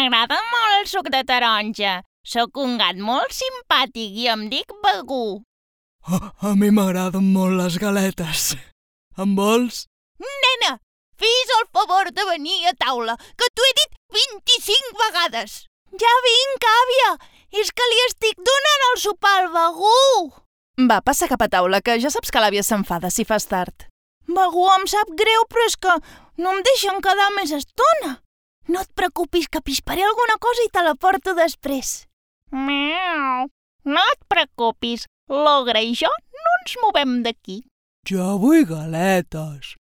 M'agrada molt el suc de taronja. Sóc un gat molt simpàtic i em dic Begú. A mi m'agraden molt les galetes. En vols? Nena, fes el favor de venir a taula, que t'ho he dit 25 vegades. Ja vinc, àvia. És que li estic donant el sopar al Begú. Va, passa cap a taula, que ja saps que l'àvia s'enfada si fas tard. Begú, em sap greu, però és que no em deixen quedar més estona. No et preocupis, que pisparé alguna cosa i te la porto després. Miau. No et preocupis, l'ogre i jo no ens movem d'aquí. Jo vull galetes.